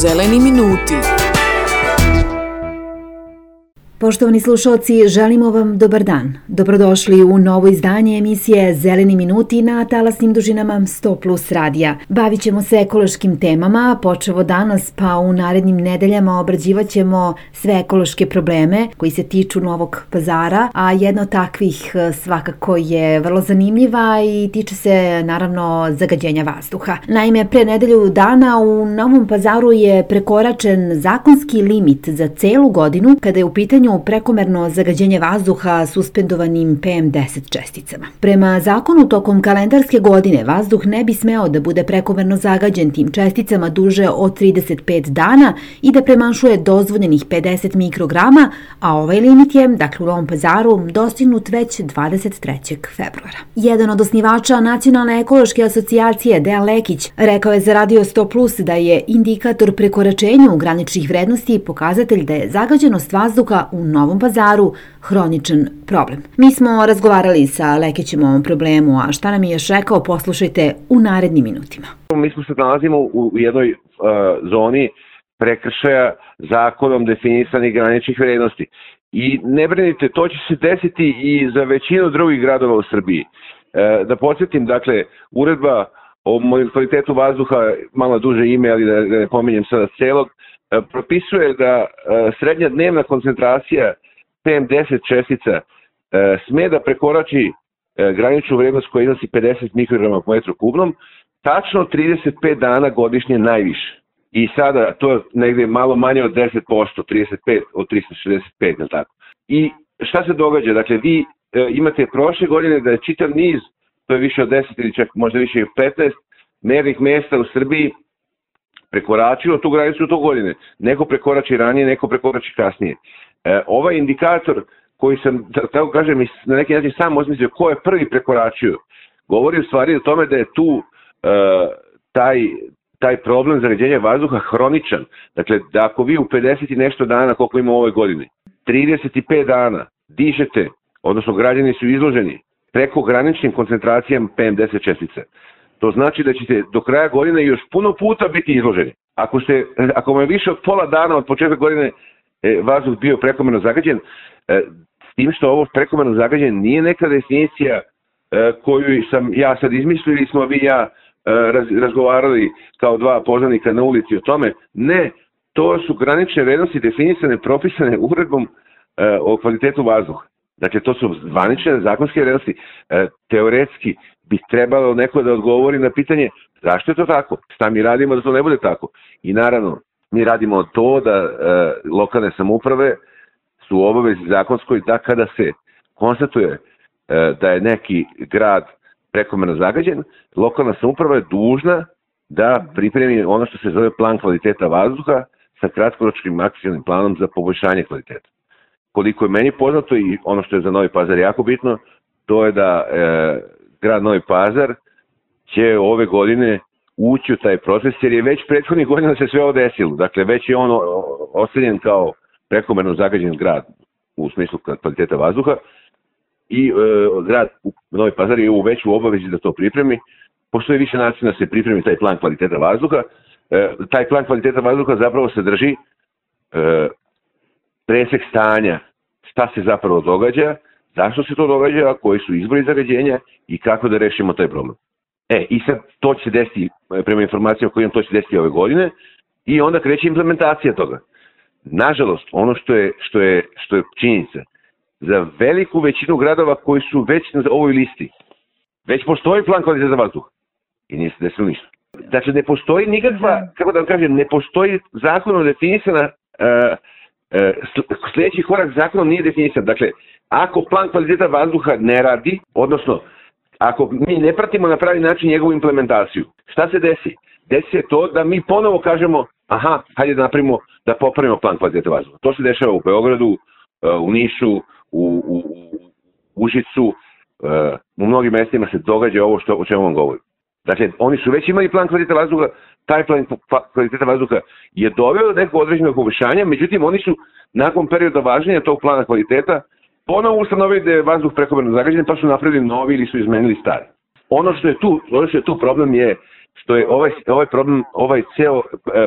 Zeleni minuti. Poštovani slušalci, želimo vam dobar dan. Dobrodošli u novo izdanje emisije Zeleni minuti na talasnim dužinama 100+ radija. Bavit ćemo se ekološkim temama, počevo danas pa u narednim nedeljama obrađivat ćemo sve ekološke probleme koji se tiču Novog Pazara, a jedna od takvih svakako je vrlo zanimljiva i tiče se naravno zagađenja vazduha. Naime, pre nedelju dana u Novom Pazaru je prekoračen zakonski limit za celu godinu kada je u pitanju prekomerno zagađenje vazduha suspendovanim PM10 česticama. Prema zakonu, tokom kalendarske godine vazduh ne bi smeo da bude prekomerno zagađen tim česticama duže od 35 dana i da premašuje dozvoljenih 50 mikrograma, a ovaj limit je, dakle u Novom Pazaru, dostignut već 23. februara. Jedan od osnivača Nacionalne ekološke asocijacije, Dejan Lekić, rekao je za Radio 100+ da je indikator prekoračenja graničnih vrednosti pokazatelj da je zagađenost vazduha u Novom Pazaru hroničan problem. Mi smo razgovarali sa Lekićem o ovom problemu, a šta nam je još rekao, poslušajte u narednim minutima. Mi smo se nalazimo u jednoj zoni prekršaja zakonom definisanih graničnih vrednosti. I ne brinite, to će se desiti i za većinu drugih gradova u Srbiji. Da podsjetim, dakle, uredba o kvalitetu vazduha, malo duže ime, ali da ne pominjem sada celog, propisuje da srednja dnevna koncentracija PM10 čestica sme da prekorači graničnu vrednost koja iznosi 50 mikrograma po metru kubnom, tačno 35 dana godišnje najviše. I sada to je negde malo manje od 10%, 35 od 365, tako. I šta se događa? Dakle, vi imate prošle godine da je čitav niz, to je više od 10 ili čak možda više od 15 mernih mesta u Srbiji prekoračilo tu granicu to godine. Neko prekorači ranije, neko prekorači kasnije. Ovaj indikator koji sam, tako kažem, na neki način sam osmislio ko je prvi prekoračio, govori u stvari o tome da je tu taj problem zagađenja vazduha hroničan. Dakle, da ako vi u 50 i nešto dana, koliko ima u ovoj godini, 35 dana dišete, odnosno građani su izloženi preko graničnim koncentracijama PM10 čestice, to znači da ćete do kraja godine još puno puta biti izloženi. Ako vam je više od pola dana od početka godine vazduh bio prekomerno zagađen, s tim što ovo prekomerno zagađen nije neka definicija koju sam ja sad izmislio ili smo vi i ja razgovarali kao dva poznanika na ulici o tome. Ne, to su granične vrednosti definisane, propisane uredbom o kvalitetu vazduha. Dakle, to su zvanične zakonske vrednosti. Teoretski bi trebalo neko da odgovori na pitanje zašto je to tako, šta mi radimo da to ne bude tako. I naravno, mi radimo to da lokalne samouprave su u obavezi zakonskoj da kada se konstatuje da je neki grad prekomerno zagađen, lokalna samouprava je dužna da pripremi ono što se zove plan kvaliteta vazduha sa kratkoročnim akcionim planom za poboljšanje kvaliteta. Koliko je meni poznato i ono što je za Novi Pazar jako bitno, to je da grad Novi Pazar će ove godine ući u taj proces, jer je već prethodnih godina se sve ovo desilo. Dakle, već je on ocenjen kao prekomerno zagađen grad u smislu kvaliteta vazduha i grad Novi Pazar je već u obavezi da to pripremi. Postoji više načina da se pripremi taj plan kvaliteta vazduha. Taj plan kvaliteta vazduha zapravo sadrži presek stanja, šta se zapravo događa, zašto se to događa, koji su izvori zagađenja i kako da rešimo taj problem. I sad to će se desiti, prema informacijama koje imam, to će se desiti ove godine i onda kreće implementacija toga. Nažalost, ono što je činjenica, za veliku većinu gradova koji su već na ovoj listi, već postoji plan kvaliteta vazduha i nije se desilo ništa. Dakle, ne postoji nikakva, kako da vam kažem, ne postoji zakonom definisana, sljedeći korak zakonom nije definisan. Dakle, ako plan kvaliteta vazduha ne radi, odnosno ako mi ne pratimo na pravi način njegovu implementaciju, šta se desi? Desi se to da mi ponovo kažemo, hajde da napravimo, da popravimo plan kvaliteta vazduha. To se dešava u Beogradu, u Nišu, u Užicu, u mnogim mestima se događa ovo o čemu vam govorim. Dakle, oni su već imali plan kvaliteta vazduha, taj plan kvaliteta vazduha je doveo do nekog određenog poboljšanja, međutim oni su nakon perioda važenja tog plana kvaliteta ponovo ustanovili da je vazduh prekomerno zagađen, pa su napravili novi ili su izmenili stari. Ono što je tu problem je što je ovaj ceo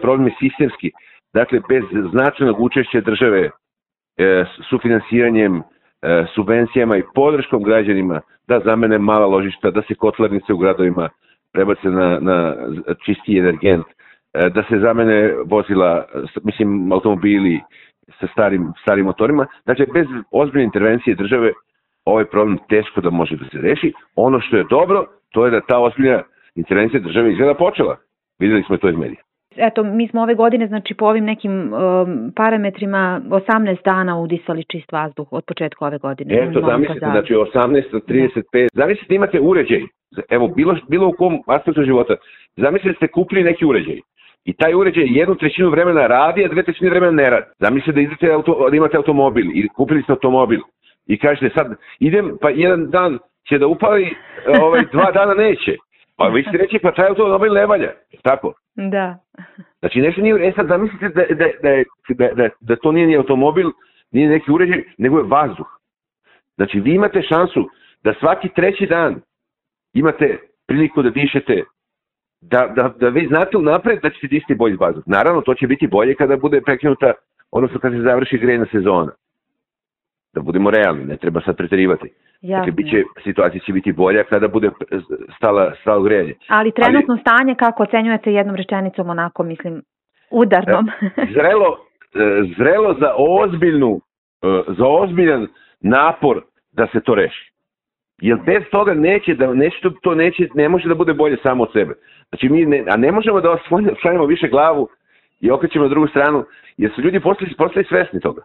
problem je sistemski. Dakle, bez značajnog učešća države, sufinansiranjem, subvencijama i podrškom građanima da zamene mala ložišta, da se kotlarnice u gradovima prebace na čisti energent, da se zamene vozila, automobili sa starim motorima. Dakle, bez ozbiljne intervencije države ovaj problem teško da može da se reši. Ono što je dobro, to je da ta ozbiljna intervencija države izgleda počela. Videli smo to iz medija. Eto, mi smo ove godine, znači po ovim nekim parametrima 18 dana udisali čist vazduh od početka ove godine. Eto, zamislite, znači 18 do 35. Zamislite imate uređaj, evo, bilo u kom aspektu života, zamislite ste kupili neki uređaj i taj uređaj 1/3 vremena radi, a 2/3 vremena ne radi. Zamislite da imate automobil i kupili ste automobil i kažete sad idem, pa jedan dan će da upali, 2 dana neće. Pa vi ćete reći, pa taj automobil ne valja, tako? Da. Znači nešto nije, sad zamislite da to nije ni automobil, nije neki uređaj, nego je vazduh. Znači vi imate šansu da svaki 3. dan imate priliku da dišete, da vi znate unapred da ćete disati bolji vazduh. Naravno, to će biti bolje kada bude prekinuta, odnosno kada se završi grejna sezona. Da budemo realni, ne treba sad preterivati. Dakle, situacija će biti bolja kada bude stalo grejanje. Ali trenutno stanje, kako ocenjujete jednom rečenicom, onako, mislim, udarnom? Zrelo za ozbiljan napor da se to reši. Jer bez toga ne može da bude bolje samo od sebe. Znači ne možemo da osvanjamo više glavu i okrećemo na drugu stranu, jer su ljudi postali svesni toga.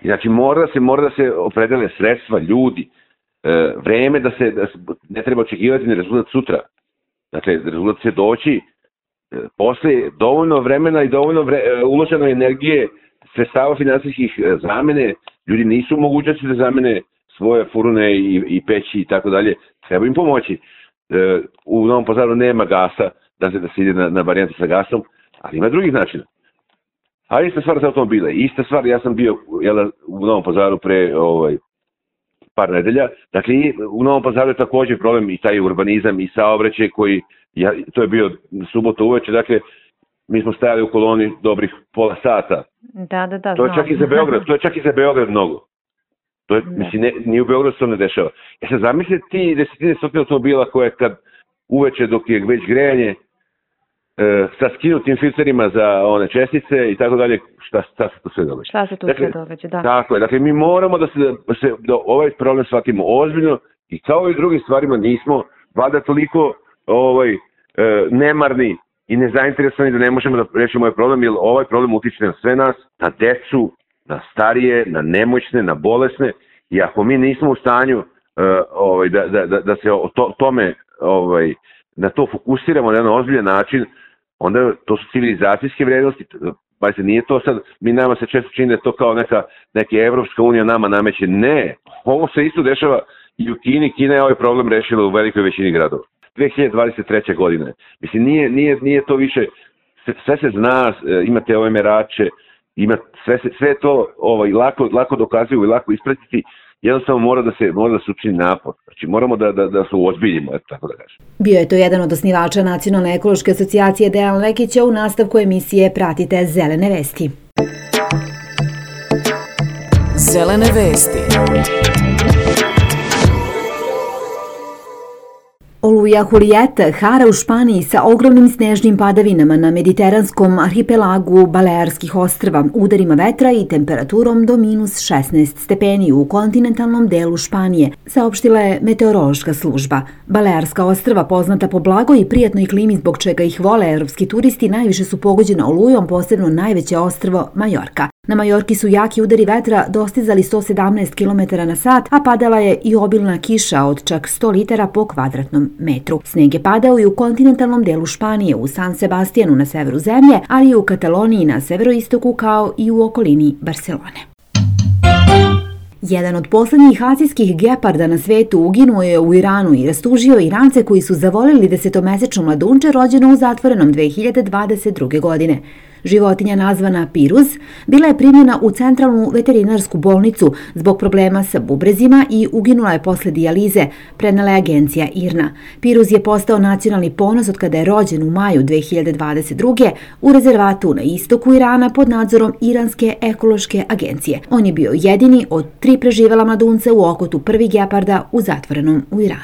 Znači mora da se opredele sredstva, ljudi, vreme da se ne treba očekivati ni rezultat sutra. Dakle, rezultat će doći posle dovoljno vremena i dovoljno uložene energije, sredstava finansijskih zamene. Ljudi nisu u mogućnosti da zamene svoje furune i peći i tako dalje. Treba im pomoći. U Novom Pazaru nema gasa, da se ide na varijantu sa gasom, ali ima drugih načina. A ista stvar za automobile. Ista stvar, ja sam bio u Novom Pazaru pre par nedelja. Dakle, u Novom Pazaru je također problem i taj urbanizam i saobraćaj koji, to je bio subota uveče, dakle, mi smo stajali u koloni dobrih pola sata. Da. To je čak i za Beograd mnogo. To je, mislim, ni u Beogradu se to ne dešava. Sad zamislite ti desetine stotine automobila koje kad uveče dok je već grejanje sa skinutim filterima za one čestice i tako dalje, šta se tu sve događa. Šta se tu sve događa, da. Tako je, dakle mi moramo da ovaj problem shvatimo ozbiljno i kao i drugim stvarima nismo valjda toliko nemarni i nezainteresovani da ne možemo da rešimo ovaj problem, jer ovaj problem utiče na sve nas, na decu, na starije, na nemoćne, na bolesne, i ako mi nismo u stanju da se tome na to fokusiramo na jedan ozbiljan način, onda to su civilizacijske vrednosti. Pa se nije to sad, nama se često čini da je to kao neka Evropska unija nama nameće. Ne, ovo se isto dešava i u Kini. Kina je ovaj problem rešila u velikoj većini gradova. 2023. godine. Mislim, nije to više, sve se zna, imate ove merače, sve to lako dokazuju i lako ispratiti. Jednostavno mora da se učini napor. Znači moramo da se uozbiljimo, tako da kažem. Bio je to jedan od osnivača Nacionalne ekološke asocijacije Dejan Lekića. U nastavku emisije pratite Zelene vesti. Zelene vesti. Oluja Julieta hara u Španiji sa ogromnim snežnim padavinama na mediteranskom arhipelagu Balearskih ostrva, udarima vetra i temperaturom do -16 stepeni u kontinentalnom delu Španije, saopštila je meteorološka služba. Balearska ostrva, poznata po blagoj i prijatnoj klimi zbog čega ih vole evropski turisti, najviše su pogođena olujom, posebno najveće ostrvo Majorka. Na Majorki su jaki udari vetra dostizali 117 km/h, a padala je i obilna kiša od čak 100 litara po kvadratnom metru. Sneg je padao i u kontinentalnom delu Španije, u San Sebastijanu na severu zemlje, ali i u Kataloniji na severoistoku, kao i u okolini Barcelone. Jedan od poslednjih azijskih geparda na svetu uginuo je u Iranu i rastužio Irance koji su zavolili 10-mesečno mladunče rođeno u zatvorenom 2022. godine. Životinja nazvana Piruz bila je primljena u centralnu veterinarsku bolnicu zbog problema sa bubrezima i uginula je posle dijalize, prenela je agencija IRNA. Piruz je postao nacionalni ponos od kada je rođen u maju 2022. u rezervatu na istoku Irana pod nadzorom Iranske ekološke agencije. On je bio jedini od 3 preživela mladunca u okotu prvi geparda u zatvorenom u Iranu.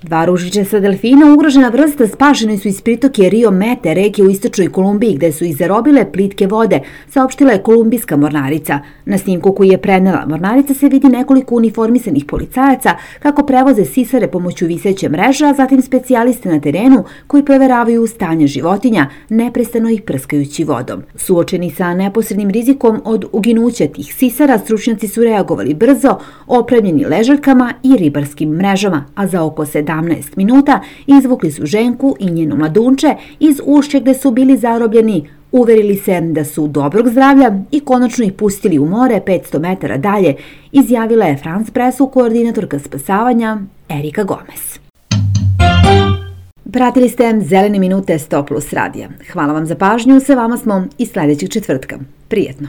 2 ružičasta delfina, ugrožena vrsta, spašeni su iz pritoke Rio Mete, reke u istočnoj Kolumbiji, gde su ih zarobile plitke vode, saopštila je kolumbijska mornarica. Na snimku koji je prenela mornarica se vidi nekoliko uniformisanih policajaca kako prevoze sisare pomoću viseće mreže, a zatim specijaliste na terenu koji proveravaju stanje životinja, neprestano ih prskajući vodom. Suočeni sa neposrednim rizikom od uginuća tih sisara, stručnjaci su reagovali brzo, opremljeni ležaljkama i ribarskim mrežama, a za oko 17 minuta izvukli su ženku i njeno mladunče iz ušća gde su bili zarobljeni, uverili se da su dobrog zdravlja i konačno ih pustili u more 500 metara dalje, izjavila je France Pressu koordinatorka spasavanja Erika Gomez. Pratili ste Zelene minute 100+ radija. Hvala vam za pažnju, sa vama smo i sljedećeg četvrtka. Prijetno.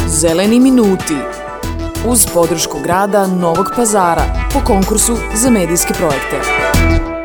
Zeleni minuti uz podršku grada Novog Pazara po konkursu za medijske projekte.